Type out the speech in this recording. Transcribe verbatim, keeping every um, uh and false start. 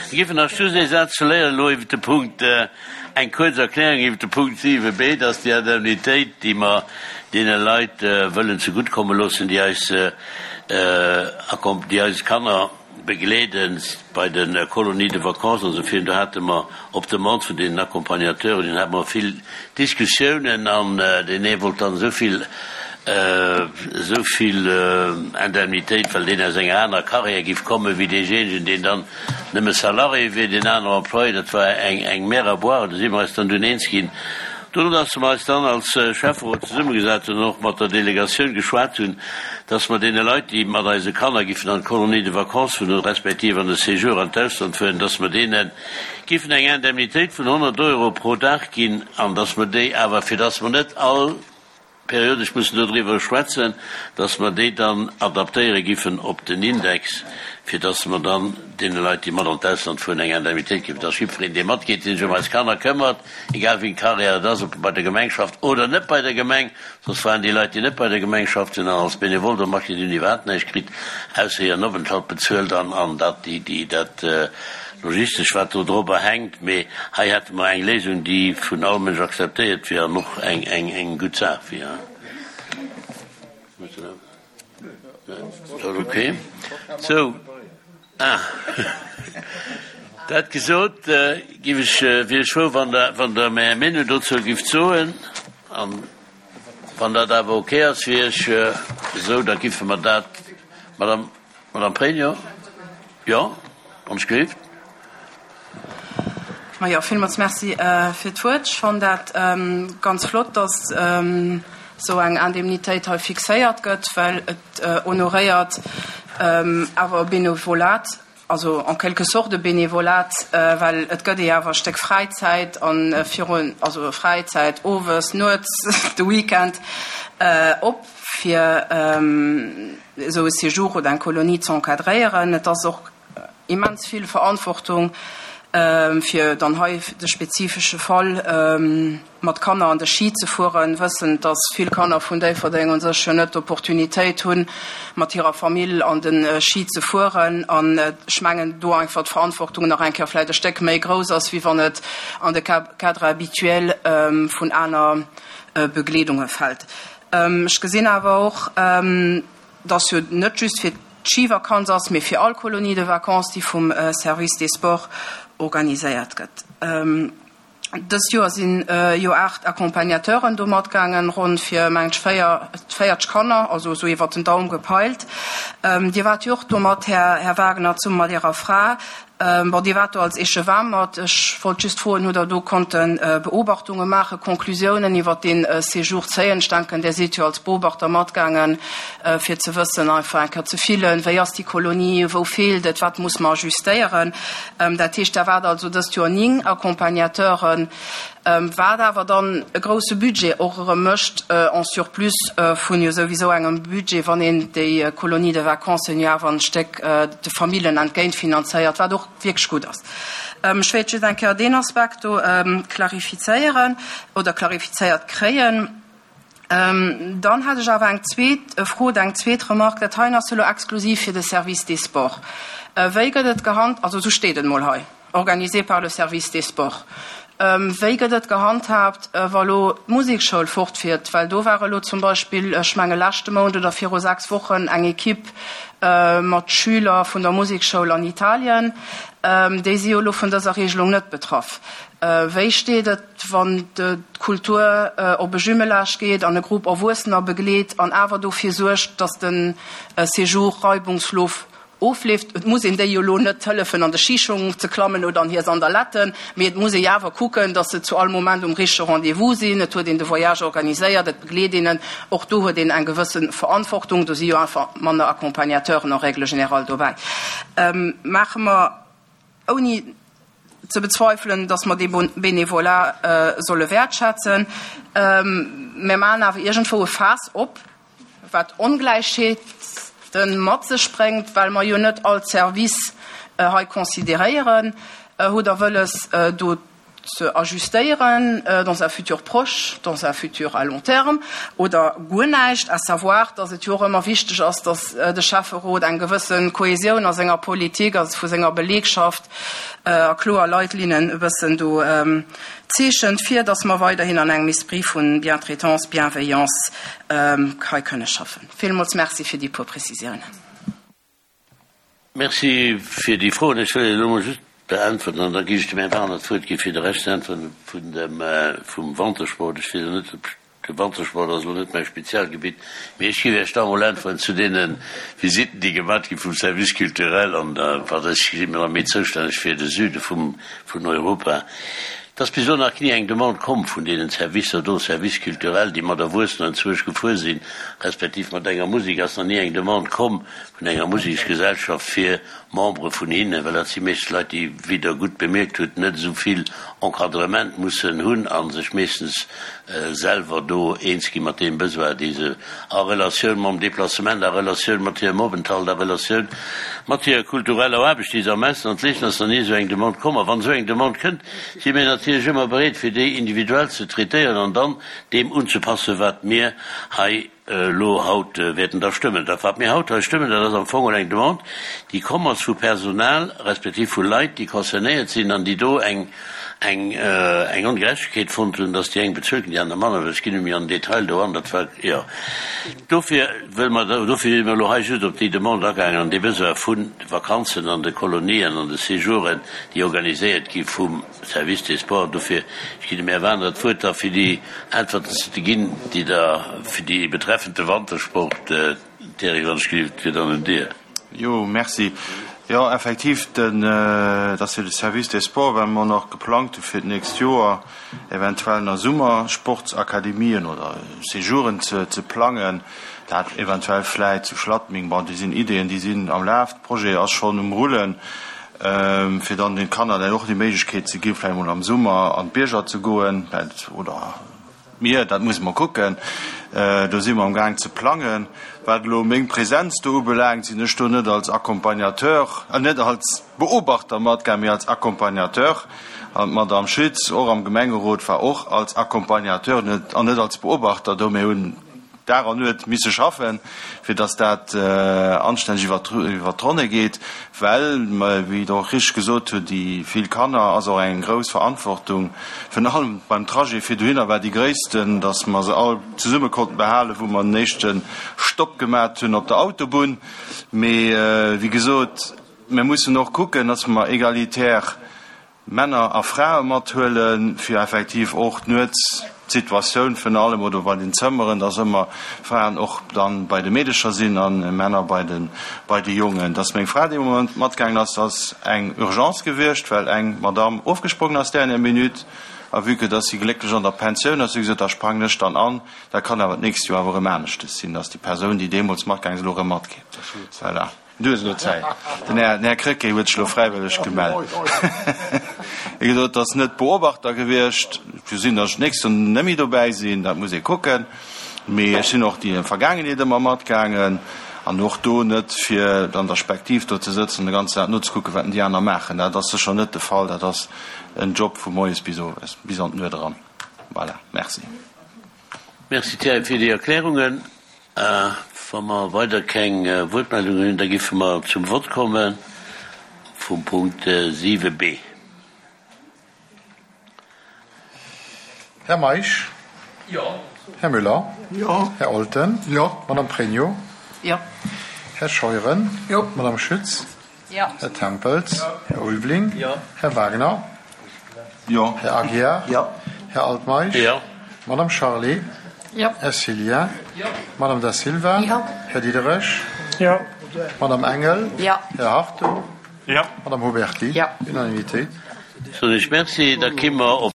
Ech géif nach just ee Saz verléieren elo iwwert de Punkt, eng kuerz Erklärung iwwert de Punkt siwe b, dass déi Indemnitéit, déi mer deene Leit wëllen zeguttkomme loossen, déi eis, déi eis Kanner begleeden bei de Colonies de vacances an esou virun, do hate mer op Demande vun deenen Accompagnateuren, hate mer vill Diskussiounen an deen ee wollt dann esou vill, esou vill Indemnitéit, well deen aus enger anerer Carrière giff kommen, wéi deejéinegen, deen dann nëmme Salarié wier, deen anere Employé. Dat war eng, eng Mer à boire. Do si mer eis dann dunn eens ginn. Dono, dass mer eis dann als Schäfferot zesummegesat hunn an och mat der Delegatioun geschwat hunn, dass mer deene Leit, déi mat eise Kanner giffen an d'Colonie de vacances fueren respektiv an de Séjour an d'Ausland fueren, dass mer deene giffen eng Indemnitéit vun honnert Euro pro Dag ginn an dass mer déi awer, fir dass mer net all periodesch mussen dodriwwer schwätzen, dass mer déi dann adaptéiere giffen op den Index, fir dass mer dann deene Leit, déi mat an d'Ausland fueren, eng Indemnitéit ginn, dass jiddwereen, dee matgeet, dee sech ëm eis Kanner këmmert, egal wéi eng Carrière et ass, ob bei der Gemeng schafft oder net bei der Gemeng, soss waren déi Leit, déi net bei der Gemeng schafft hunn an als Benevole do matginn, déi hunn iwwerhaapt näischt kritt, ausser hiren Openthalt bezuelt an an dat, déi, déi, dat logistesch, wat do dorobber hänkt. Mee hei hätte mer eng Léisung, déi vun all Mënsch akzeptéiert wier an och eng, eng, eng gutt Saach wier. Okay. Sou, ah, dat gesot, giff ech, wier ech frou, wann Der, wann Der Är Meenung dozou gifft soen. An wann dat awer okay ass fir Iech esou, da giffe mer dat, Madame, Madame Pregno, jo, wann ech gelift. Majo, villmools Merci fir d'Wuert. Ech fannen dat ganz flott, dass esou eng Indemnitéit hei fixéiert gëtt, well et honoréiert awer e Benevolat, also en quelque sorte e Benevolat, well et gëtt ee awer e Stéck Fräizäit a virun, also Fräizäit owes, nuets, de Weekend op, fir esou e Séjour oder eng Kolonie ze encadréieren. Et ass och immens vill Verantwortung, fir dann hei de spezifesche Fall mat Kanner an de Schi ze fueren, wëssend, dass vill Kanner vun Déifferdeng u sech jo net d'Opportunitéit hunn, mat hirer Famill an de Schi ze fueren. An ech mengen, do einfach d'Verantwortung nach eng Kéier vläicht e Stéck méi grouss ass, wéi wann et an de Cadre habituel vun aner Begleedunge fält. Ech gesinn awer och, dass jo net just fir d'Schivakanz ass, mee fir all Colonie de vacances, déi vum Service des Sports organiséiert gëtt. Dëst Joer si jo aacht Accompagnateuren do matgaangen, ronn fir, mengen ech, véier, véierteg Kanner, also esou iwwert den Daum gepeilt. Dir waart jo och do mat, Här, Här Wagner, zesumme mat Ärer Fra. Bon, Dir waart do als Échevin mat. Ech wollt just froen, Hutt Der do konnte Beobachtunge maachen, Conclusiounen iwwert dee Séjour zéien? Ech denken, Dir sidd jo als Beobachter matgaangen, fir ze wëssen, einfach eng Kéier ze fillen, wéi ass déi Kolonie, wou feelt et, wat muss mer ajustéieren. Dat heescht, Der waart also dëst Joer ning Accompagnateuren, wat awer dann e grouse Budget och erëm mécht, en surplus vun jo souwisou engem Budget, wann een déi Colonie de vacances jo awer en Stéck de Famillen entgéint finanzéiert, wat och wierklech gutt ass. Ech wéilt just eng Kéier deen Aspekt do klarifizéieren oder klarifizéiert kréien. Dann hätt ech awer eng zweet Fro oder eng zweet Remarque. Dat heien ass jo elo exklusiv fir de Service des Sports. Wéi gëtt et gehand-, also esou steet et emol hei, organisé par le Service des Sports. Wéi gëtt et gehandhaabt, wa lo d'Musekschoul fortfiert? Well do war elo zum Beispill, ech menge leschte Mount oder viru sechs Wochen, eng Ekipp mat Schüler vun der Musekschoul an Italien. Déi si jo elo vun dëser Regelung net betraff. Wéi steet et, wann d'Kultur op e Jumelage geet an e Grupp Erwuessener begleet an awer dofir suergt, datt de Séjour reibungslos ofleeft? Et muss een déi jo elo net hëllefen, an de Schischong ze klammen oder an hir Sandaletten, mee et muss ee jo awer kucken, datt se zu all Moment um richtege Rendez-vous sinn. Et huet een de Voyage organiséiert, et begleet een en. Och do huet een eng gewësse Verantwortung. Do si jo einfach manner Accompagnateuren en règle générale dobäi. Maache mer, ouni ze bezweifelen, datt mer dee Bénévolat solle wäertschätzen, mer maachen awer iergendwou e Faass op, wat Ongläichheete mat sech bréngt, well mer jo net all Service hei consideréieren. Hutt Der wëlles, do ze ajustéieren dans un futur proche, dans un futur à long terme oder guer näischt, à savoir, dass et jo och ëmmer wichteg ass, dass de Schäfferot eng gewësse Kohäsioun a senger Politik, also vu senger Belegschaft a kloer Leitlinnen e bëssen do zeechent, fir dass mer weiderhin an engem Esprit vu Bientraitance, Bienveillance hei kënne schaffen. Villmools Merci fir déi puer Prezisiounen. Merci fir déi Froen. Ech wëll elo mol just beäntwerten an da ginn ech dem Här Wagner d'Wuert gi fir de Rescht ze äntweren vun dem, vum Wantersport. Ech weess elo net, ob, de Wantersport ass elo net mäi Spezialgebitt, mee ech géif Iech da mol äntweren zu deene Visitten, déi gemat gi vum Service culturel an der, wat ech si mir méi zoustänneg fir de Süde vum, vun Europa. Et ass bis elo nach ni eng Demande komm vun deenen Servicer do, Service culturel, déi mat Erwuessenen anzwousch gefuer sinn, respektiv mat enger Musek, ass nach ni eng Demande komm vun enger Museksgesellschaft fir Membere vun hinnen, well dat si meeschtens Leit, déi, wéi Der gutt bemierkt hutt, net esou vill Encadrement mussen hunn a sech meeschtens selwer do eens gi mat deem Besoin, dee se a Relatioun mam Déplacement, a Relatioun mat hirem Openthalt, a Relatioun mat hirer kultureller Aarbecht, déi se am Ausland leeschten, ass nach ni esou eng Demande komm. A wann esou eng Demande kënnt, si mir natierlech ëmmer bereet, fir déi individuell ze traitéieren an dann deem unzepassen, wat mir hei elo haut wäerten da stëmmen. Dat, wat mir haut hei stëmmen, dat ass am Fong eng Demande, déi komm ass vu Personal respektiv vu Leit, déi concernéiert sinn an déi do eng, eng, eng Ongerechtegkeet fonnt hunn, dass déi eng bezuelt ginn, déi aner manner. Ech ginn net méi an den Detail do an, dat war, jo. Dofir wëlle mer, dofir si mir elo hei just op déi Demande agaangen an dee Besoin vun de Vakanzen an de Kolonien an de Séjouren, déi organiséiert gi vum Service des Sports. Dofir, ech ginn dem Här Wagner d'Wuert da fir déi Äntwerten ze ginn, déi Der fir déi betreffend de Wantersport, Thierry, wann ech gelift, wier dann un Dir. Jo, merci. Jo, effektiv, den, dat ass jo de Service des Sports, well mer nach geplangt hu fir d'nächst Joer eventuell nach Summersportsakademien oder Séjouren ze, ze plangen, dat eventuell vläit zu Schladming. Bon, déi sinn Ideeën, déi sinn am Laf, de Projet ass schonn um Rullen, fir dann den Kanner dann och déi Méiglechkeet ze ginn, vläicht emol am Summer an d'Bierger ze goen, oder d'Mier, dat musse mer kucken. Do si mer am Gaang ze plangen. Wat elo meng Präsenz do ubelaangt, sinn ech do net als Accompagnateur, net als Beobachter matgaang, mee als Accompagnateur. An d'Madame Schütz, och am Gemengerot, war och als Accompagnateur an net als Beobachter do. Mir hunn Dag an Nuet misse schaffen, fir dass dat anstänneg iwwert d'Ronne geet, well, wéi Der och richteg gesot hutt, déi vill Kanner ass och eng grouss Verantwortung. Virun allem beim Trajet fir dohinner war déi gréissten, dass mer se all zesumme konnten behalen, wou mer den éischte Stopp gemat hunn op der Autobunn. Mee wéi gesot, mir mussen och kucken, dass mer egalitär Männer a Frae mathuelen, fir effektiv och d'Nuets d'Situatioun vun allem oder bei den Zëmmeren, dass ëmmer Fraen och dann bei de Meedecher sinn a Männer bei de bei de Jongen. Dass meng Fra dee Moment matgaangen ass, ass eng Urgence gewiescht, well eng Madame ofgesprongen ass dernière minute. A vue que dass si glécklech an der Pensioun ass, hu si gesot, da sprangen ech dann an. Dat kann awer d'nächst Joer awer erëm aneschtes sinn, dass déi Persoun, déi deemools matgaangen ass, elo erëm matgeet. Voilà. Du hues elo Zäit. Den Här, den Här Krecké huet sech elo fräiwëlleg gemellt. Wéi gesot, et ass net Beobachter gewiescht. Et ka sinn, datt ech d'nächst Joer net méi dobäi sinn, dat muss ee kucken. Mee ech sinn och déi Vergaangenheet ëmmer matgaangen an och do net, fir an der Spektiv do ze sëtzen an de ganzen Dag nozekucken, wat déi aner maachen. Dat ass sécher net de Fall. Dat ass en Job vu moies bis owes, bis an d'Nuet eran. Voilà, merci. Merci Thierry fir déi Erklärungen. Wa mer weider keng Wuertmeldungen hunn, da giffe mer zum Vott komme vum Punkt siwe b. Här Meisch? Jo. Här Müller? Jo. Här Olten? Jo. Madame Pregno? Jo. Här Scheuren? Jo. Madame Schütz? Jo. Här Tempels? Jo. Här Ulveling? Jo. Här Wagner? Jo. Här Aguiar? Jo. Här Altmeisch? Jo. Madame Charlé? Jo. Här Cillien? Jo. Madame Da Silva? Jo. Här Diderich? Jo. Madame Engel? Jo. Här Hartung? Jo. Madame Huberty? Jo. Unanimitéit. Soen ech Merci. Da ki mer op.